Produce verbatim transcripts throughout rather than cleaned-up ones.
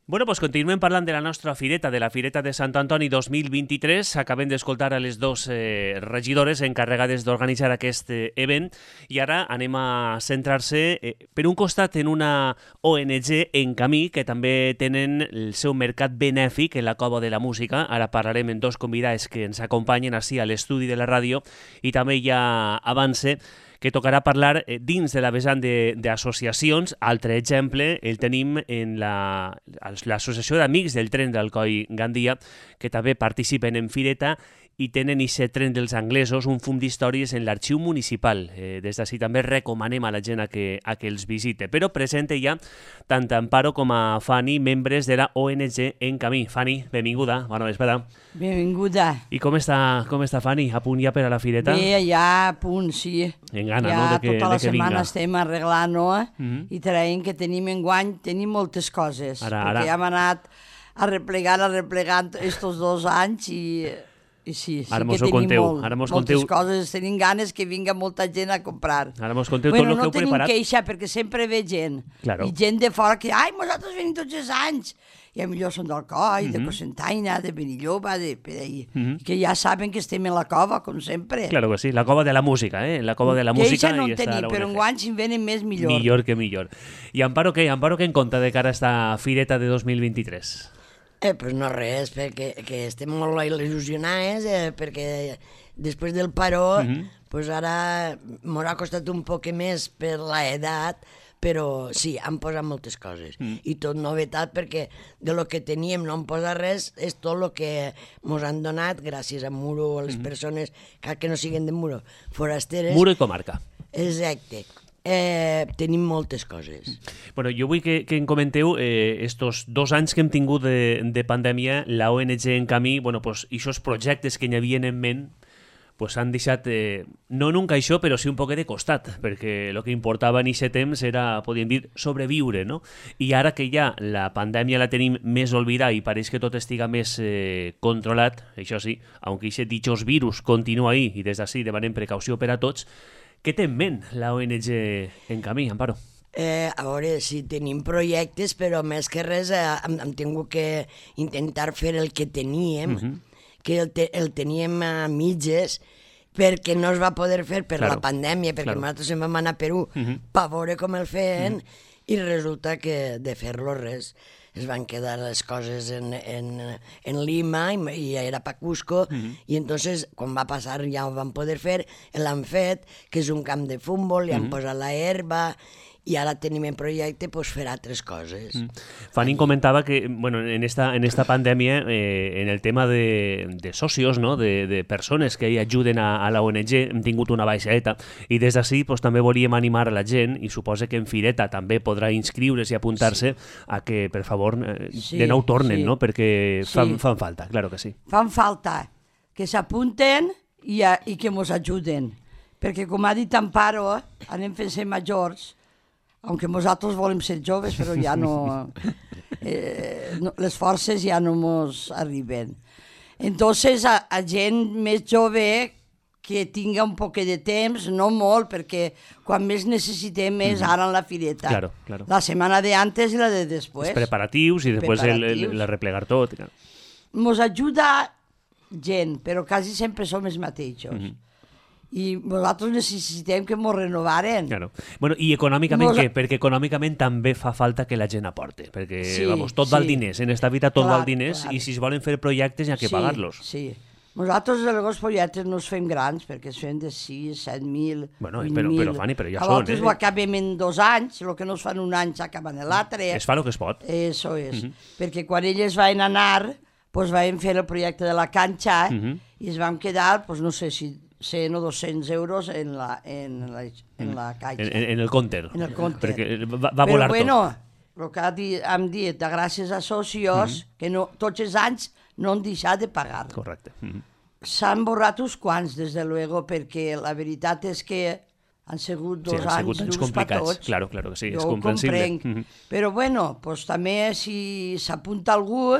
Bueno, doncs continuem parlant de la nostra fireta, de la Fireta de Sant Antoni dos mil vint-i-tres. Acabem d'escoltar a les dues eh, regidores encarregades d'organitzar aquest eh, event i ara anem a centrar-se, eh, per un costat, en una O N G en camí que també tenen el seu mercat benèfic en la Cova de la Música. Ara parlarem amb dos convidats que ens acompanyen així a l'estudi de la ràdio i també ja avance que tocarà parlar eh, dins de la vessant d'associacions. Altre exemple el tenim en l'Associació d'Amics del Tren d'Alcoi Gandia, que també participen en Fireta i tenen aquest tren dels anglesos, un fum d'històries en l'arxiu municipal. Eh, des d'ací també recomanem a la gent a que, a que els visite. Però presente ja tant Amparo com a Fanny, membres de la O N G en camí. Fanny, benvinguda, bona vesprada. Benvinguda. I com està, com està Fanny? A punt ja per a la Fireta? Bé, ja a punt, sí. En gana, ja no?, de que, tota la de que setmana vinga. estem arreglant, no? Mhm. I traient que tenim enguany, tenim moltes coses. Ara, perquè ara. ja hem anat arreplegant, arreplegant estos dos anys i, i sí, sí Ara mos que ho tenim conteu, molt, ara mos moltes conteu. coses. Tenim ganes que vinga molta gent a comprar. Ara mos conteu Bueno, tot el no que heu tenim preparat. queixa perquè sempre ve gent. Claro. I gent de fora que, ai, nosaltres venim tots els anys. I a millor són d'Alcoi, de Cocentaina, de Benilloba, de per ahí. Mhm. Que ja saben que estem en la cova, com sempre. Claro que sí, la Cova de la Música, eh? La Cova de la Música. Queixa no i en està tenim, la però O N G. enguany si en venen més millor. Millor que millor. I Amparo què? Amparo què en compta de cara a esta Fireta de dos mil vint-i-tres? Eh, pues no res, perquè que estem molt il·lusionats, eh, perquè després del paró, Mhm. pues ara m'ho ha costat un poc més per l'edat, però sí, han posat moltes coses. Mm. I tot novetat, perquè de lo que teníem no han posat res, és tot el que ens han donat gràcies a Muro, a les persones que, que no siguen de Muro, forasteres. Muro i comarca. Exacte. Eh, tenim moltes coses. Bueno, jo vull que, que em comenteu eh, estos dos anys que hem tingut de, de pandèmia, la O N G en camí, bueno, pues, aquests projectes que n'hi havien en ment, pues han deixat, eh, no en un caixó, però sí un poquet de costat, perquè el que importava en aquest temps era, podríem dir, sobreviure, no? I ara que ja la pandèmia la tenim més oblidada i pareix que tot estiga més eh, controlat, això sí, aunque aquest ditxós virus continua ahí i des d'ací demanem precaució per a tots, què té en ment la O N G en camí, Amparo? Eh, a veure, sí, tenim projectes, però més que res eh, hem, hem tingut que intentar fer el que teníem, Mhm. que el, te, el teníem a mitges, perquè no es va poder fer per Claro, la pandèmia, perquè claro. nosaltres en vam anar a Perú Mhm. per veure com el feien, i resulta que de fer-lo res. Es van quedar les coses en, en, en Lima i, i era pa Cusco, i entonces quan va passar ja ho van poder fer, l'han fet, que és un camp de futbol, li han posat la herba, i ara tenim en projecte pues, fer altres coses. Mm. Fanny comentava que bueno, en, esta, en esta pandèmia, eh, en el tema de, de socios, no? de, de persones que hi ajuden a, a la O N G, hem tingut una baixadeta i des d'ací pues, també volíem animar a la gent i suposa que en Fireta també podrà inscriure's i apuntar-se sí. a que, per favor, eh, Sí, de nou tornen, sí. no? perquè Sí. fan, fan falta, claro que sí. Fan falta que s'apunten i, a, i que ens ajuden. Perquè, com ha dit Amparo, anem fent ser majors, aunque nosaltres volem ser joves, però ja no, eh, no les forces ja no ens arriben. Entonces, a, a gent més jove que tinga un poc de temps, no molt, perquè quan més necessitem és ara en la fireta. Claro, claro. La setmana de antes i la de després. Els preparatius i després el, el, Preparatius. el arreplegar tot. Claro. Ens ajuda gent, però quasi sempre som els mateixos. Mhm. I nosaltres necessitem que ens renovaren. Claro. Bueno, i econòmicament Nos- què? Perquè econòmicament també fa falta que la gent aporte, perquè Sí, vamos, tot val sí. diners, en esta vida tot Clar, val diners clar. i si es volen fer projectes hi ha que Sí, pagar-los. Sí. Nosaltres els projectes no els fem grans, perquè es fem de sis, set mil, Bueno, vuit però- mil. però, Fanny, però ja A són, voltes eh? ho acabem en dos anys, el que no es fa en un any s'acaba en l'altre. Es fa el que es pot. Eso és. Mhm. Perquè quan elles van anar, doncs vam fer el projecte de la canxa Mhm. i es vam quedar, doncs no sé si cent o dos-cents euros en la, en la, en la caixa. En, en, en el counter. En el counter. Perquè va, va Però volar bueno, el que ha dit, hem dit, de gràcies a socios, que no, tots els anys no han deixat de pagar. tot. Correcte. Mhm. S'han borrat uns quants, des de luego, perquè la veritat és que han sigut dos Sí, han sigut anys anys durs per complicats. tots. Claro, claro que sí, és Jo ho comprensible. comprenc. Mhm. Però bueno, pues, també si s'apunta algú,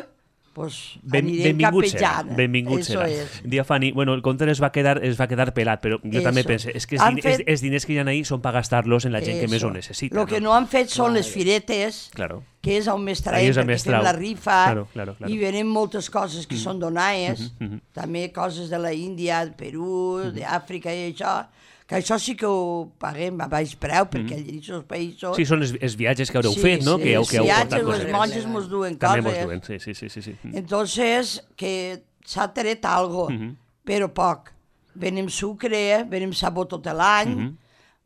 pues Ben, anirem benvingut serà, capejant. benvingut Eso serà. es. Dia Fanny, bueno, el compte es va quedar, es va quedar pelat, però jo Eso. també pense, és que els, Han din fet- els, els diners que hi ha ahí són per gastar-los en la gent que més ho Eso. necessita. Lo que no han fet són les firetes, Claro. que és on més Ahí traiem, és on perquè més fem trau. la rifa, Claro, claro, claro. i venen moltes coses que són donades, també coses de la Índia, del Perú, d'Àfrica i això, que això sí que ho paguem a baix preu, perquè allà en aquests països... Sí, són els, els viatges que haureu Sí, fet, no? sí, que heu, els que heu viatges, portat les coses. monges mos duen També coses. mos duen, sí, sí, sí. sí, sí. Entonces, que s'ha tret algo, però poc. Venem sucre, venem sabó tot l'any,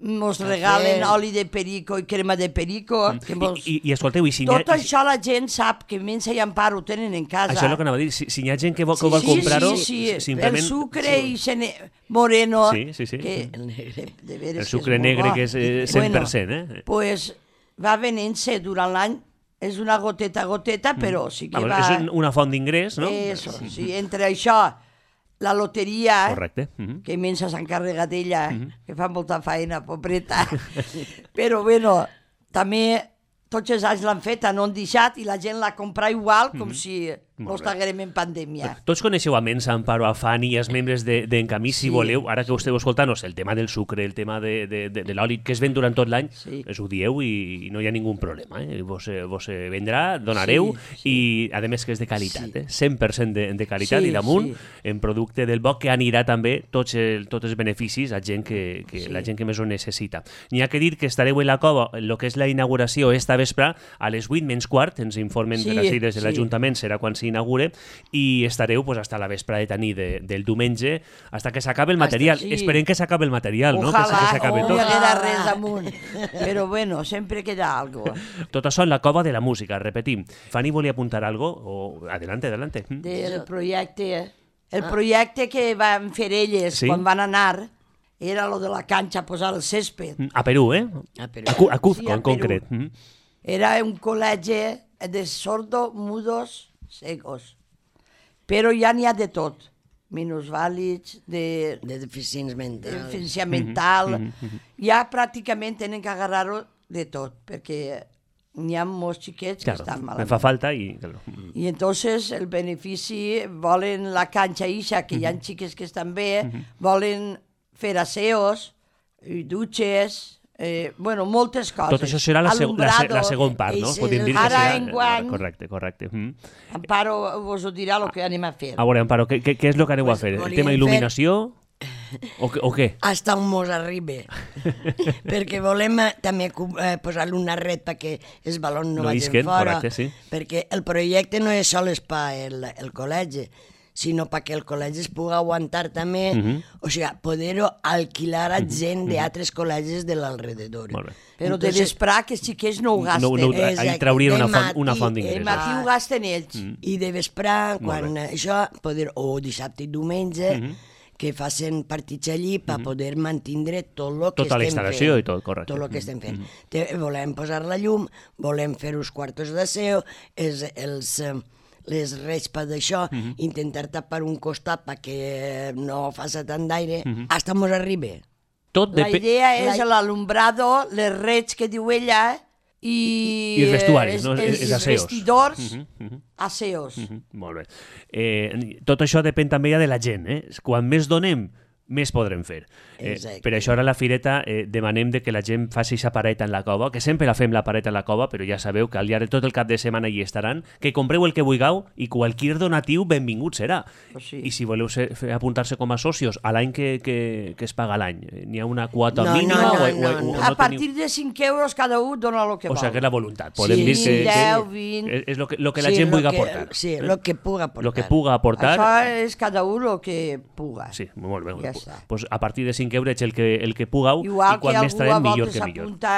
mos regalen oli de perico i crema de perico. Que mos... I, i, I escolteu, i si n'hi ha... Tot això la gent sap que Mensa i Amparo ho tenen en casa. Això és el que anava a dir. Si, si hi ha gent que vol, que vol sí, comprar-ho, sí, sí, simplement... el sucre i sene... moreno, Sí, sí, sí. que El negre. de veres El que sucre és molt negre, bo. que és eh, cent per cent, eh? Pues va venent-se durant l'any, és una goteta a goteta, però sí que Vamos, va... és un- una font d'ingrés, no? Eso, sí, entre això, la loteria, Correcte. Mhm. que Mensa s'encarrega d'ella, que fa molta feina, pobreta. Però, bueno, també tots els anys l'han fet, no han deixat, i la gent la compra igual, com si no estiguem en pandèmia. Tots coneixeu a Mensa, Amparo, a Fanny i els membres d'Encamí, si Sí, voleu, ara que esteu escoltant-nos, el tema del sucre, el tema de, de, de, de l'oli, que es ven durant tot l'any, Sí. es ho dieu i, i no hi ha ningú problema. Eh? Vos, eh, vos eh, vendrà, donareu, Sí, i a més que és de qualitat, eh? cent per cent de, de qualitat Sí, i damunt, sí. en producte del bo, que anirà també tots, el, tots els beneficis a gent que, que la gent que més ho necessita. N'hi ha que dir que estareu en la cova, en el que és la inauguració esta vespre, a les vuit menys quart, ens informen Sí, per així des de sí. l'Ajuntament, serà quan s'inaugure, i estareu pues, hasta la vespre de tenir de, del diumenge, hasta que s'acabe el material. sí. Esperem que s'acabe el material, no? que, Ojalà, que s'acabe no tot. hi haguera res amunt. Però bueno, sempre queda algo. Tot això en la cova de la música, repetim. Fanny volia apuntar algo? O... Adelante, adelante. Mm. Del projecte. El projecte que van fer elles Sí. quan van anar era lo de la canxa, posar el césped. A Perú, eh? A Perú. A, Cu a Cuzco, Sí, a en concret. Perú. Mm. Era un col·legi de sordo, mudos, cegos. Però ja n'hi ha de tot. Minusvàlids, de De deficients mentals. deficiència mental. Ja pràcticament tenen que agarrar-ho de tot, perquè n'hi ha molts xiquets que Claro, estan me malament. fa falta i... Claro. I entonces el benefici, volen la canxa ixa, que hi ha xiques que estan bé, volen fer aseos, i dutxes, eh, bueno, moltes coses. Tot això serà la, seg la, se la Alumbrado. segona part, no? Ese- Podem dir que Ara serà... enguany- Correcte, correcte. Mm. Amparo vos ho dirà el que anem a fer. A veure, Amparo, què, què, què és el que aneu Pues a fer? El volíem tema fer- il·luminació? O, què- o què? Hasta on mos arribi. Perquè volem eh, també cu- eh, posar-li una red perquè els balons no, No vagin isquen, fora. correcte, sí. Perquè el projecte no és sols per el, el col·legi, sinó perquè el col·legi es pugui aguantar també, o sigui, poder-ho alquilar a gent d'altres col·legis de l'alrededor. Molt bé. Però de vesprà que els xiquets no ho gasten. No, no, ahí Exacte. traurien una De font, una matí, font El d'ingressos. matí ho gasten ells. I de vesprà, Molt quan bé. això, poder, o dissabte i diumenge, que facin partits allí per poder mantindre tot el que Tota la estem instal·lació fent. i tot, correcte. Tot el que estem fent. Te, volem posar la llum, volem fer uns quartos d'aseo, els, els, eh, les respes d'això, intentar tapar un costat perquè no faci tant d'aire, hasta mos arribi. Tot La depèn... idea és La- l'alumbrado, les reds que diu ella, i, I els vestuaris, eh, no? els, Els els aseos. vestidors, aseos. Mhm, molt bé. Eh, tot això depèn també ja de la gent. Eh? Quan més donem, més podrem fer. Eh, Exacte. per això ara a la fireta eh, demanem de que la gent faci aquesta pareta en la cova, que sempre la fem la pareta en la cova, però ja sabeu que al llarg de tot el cap de setmana hi estaran, que compreu el que vulgueu i qualsevol donatiu benvingut serà. Pues sí. I si voleu ser, fer- apuntar-se com a socios a l'any que, que, que es paga l'any, eh, n'hi ha una quota No, mínima? no, no, o, o, no, o, no. o A no partir de cinc euros cada un dona el que O vol. sigui, que és la voluntat. Podem Sí, dir que, que deu, vint. és, és lo que, lo que la Sí, gent lo vulgui que- aportar. sí, lo que puga aportar. Lo que puga aportar. Això és cada un el que puga. Sí, molt bé. Ja està. Pues a partir de cinc euros el que, el que pugueu, Igual i quan que més algú traiem, a millor voltes que millor. s'apunta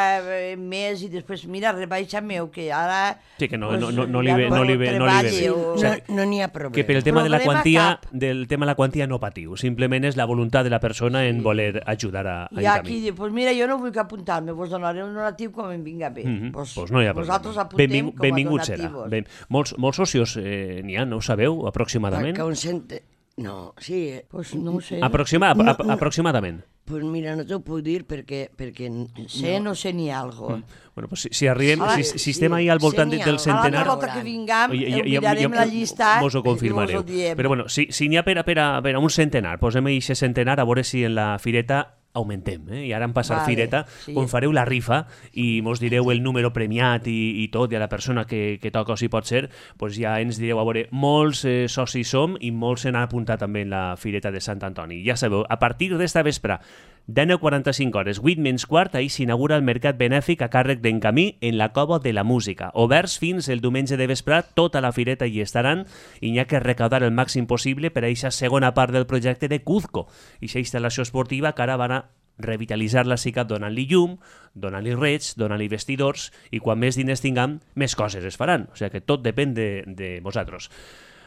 eh, més i després, mira, rebaixa-me, que ara... Sí, que no, pues, no, no, no, li ja ve, no, li ve, no li ve bé. treballi o- O sigui, No, no n'hi ha problema. que per el tema de la Problema quantia, cap. del tema de la quantia no patiu. Simplement és la voluntat de la persona en voler ajudar a, a Hi ha encamí. qui diu, pues mira, jo no vull que apuntar-me, vos donaré un donatiu com em vinga bé. Mhm. Pues, Pues no hi ha vosaltres problema. apuntem Benvingut, com a benvingut serà. donativos. Ben, molts, molts socios eh, n'hi ha, no ho sabeu, aproximadament? Que un cent... No, sí. eh, Pues no ho sé. Aproxima, No, ap no. aproximadament. Pues mira, no t'ho puc dir perquè... perquè Sé, no sé ni algo. Bueno, pues si, si arribem, Ah, si, sí, si estem sí, ahir al voltant sí, de- n'hi ha. del A A centenar... l'altra volta que vingam, Ja- ja- ho ja- mirarem ja- la llista Mos ho i us confirmareu. ho diem. Però bueno, si si n'hi ha per a, per, a, per a un centenar, posem aquest centenar a veure si en la fireta augmentem, eh? I ara en passar Vale, fireta, sí. quan fareu la rifa i mos direu el número premiat i, i tot, i a la persona que, que toca o si pot ser, pues ja ens direu, a veure, molts eh, socis som i molts s'han apuntat també en la fireta de Sant Antoni. Ja sabeu, a partir d'esta vespre, deu quaranta-cinc hores, vuit menys quart, ahir s'inaugura el mercat benèfic a càrrec d'en Camí en la Cova de la Música. Oberts fins el diumenge de vespre, tota la fireta hi estaran i n'hi ha que recaudar el màxim possible per a aquesta segona part del projecte de Cuzco, aquesta instal·lació esportiva que ara van a revitalitzar la SICAP donant-li llum, donant-li reig, donant-li vestidors i quan més diners tinguem, més coses es faran. O sigui que tot depèn de, de vosaltres.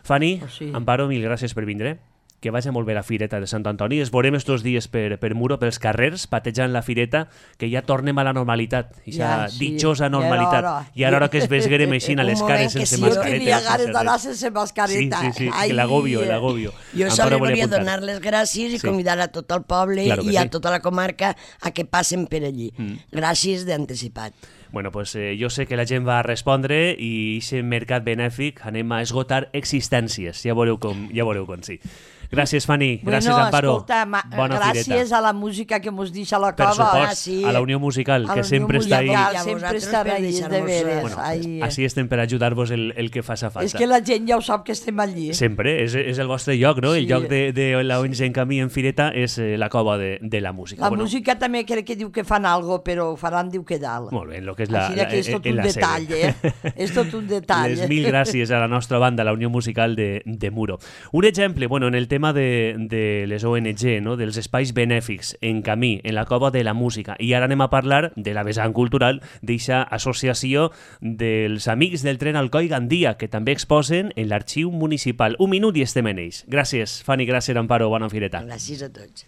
Fanny, Pues sí. Amparo, mil gràcies per vindre. Que vagi molt bé la fireta de Sant Antoni. Es veurem estos dies per, per Muro, pels carrers, patejant la fireta, que ja tornem a la normalitat, aquesta Ja, sí. ditjosa Ja era normalitat. hora. I ara hora que es vesguerem així a les Un cares moment que sense sí, Jo mascareta. tenia sense ganes d'anar res. sense mascareta. Sí, sí, sí, Ai, que l'agobio, l'agobio. Jo Amparo solo volia volia apuntar. donar les gràcies i Sí. convidar a tot el poble Claro que i a sí. tota la comarca a que passen per allí. Gràcies d'anticipat. Bueno, pues eh, jo sé que la gent va respondre i aquest mercat benèfic anem a esgotar existències. Ja veureu com, ja veureu com sí. Gràcies, Fanny. Gràcies, bueno, Amparo. escolta, ma, Bona gràcies fireta. a la música que mos deixa la Per cova. supost, Ah, sí. a la Unió Musical, A que la sempre Unió està ahí. Musical, I a sempre vosaltres està per ahí, de deixar-nos, veres. Bueno, Ai, així estem per ajudar-vos el, el que faça falta. és que la gent ja ho sap que estem allí. Sempre, és, és el vostre lloc, no? El Sí. lloc de, de la O N G en Camí en Fireta és eh, la cova de, de la música. La música també crec que diu que fan algo, però ho faran, diu que dalt. Molt bé, en lo que és la, Així la, que és tot en un la detall, sede. eh? És tot un detall. Les mil gràcies a la nostra banda, la Unió Musical de, de Muro. Un exemple, bueno, en el tema de, de les O N G, no? Dels espais benèfics en Camí, en la Cova de la Música. I ara anem a parlar de la vessant cultural d'eixa associació dels Amics del Tren Alcoi Gandia, que també exposen en l'arxiu municipal. Un minut i estem en ells. Gràcies, Fanny, gràcies, Amparo, bona fireta. Gràcies a tots.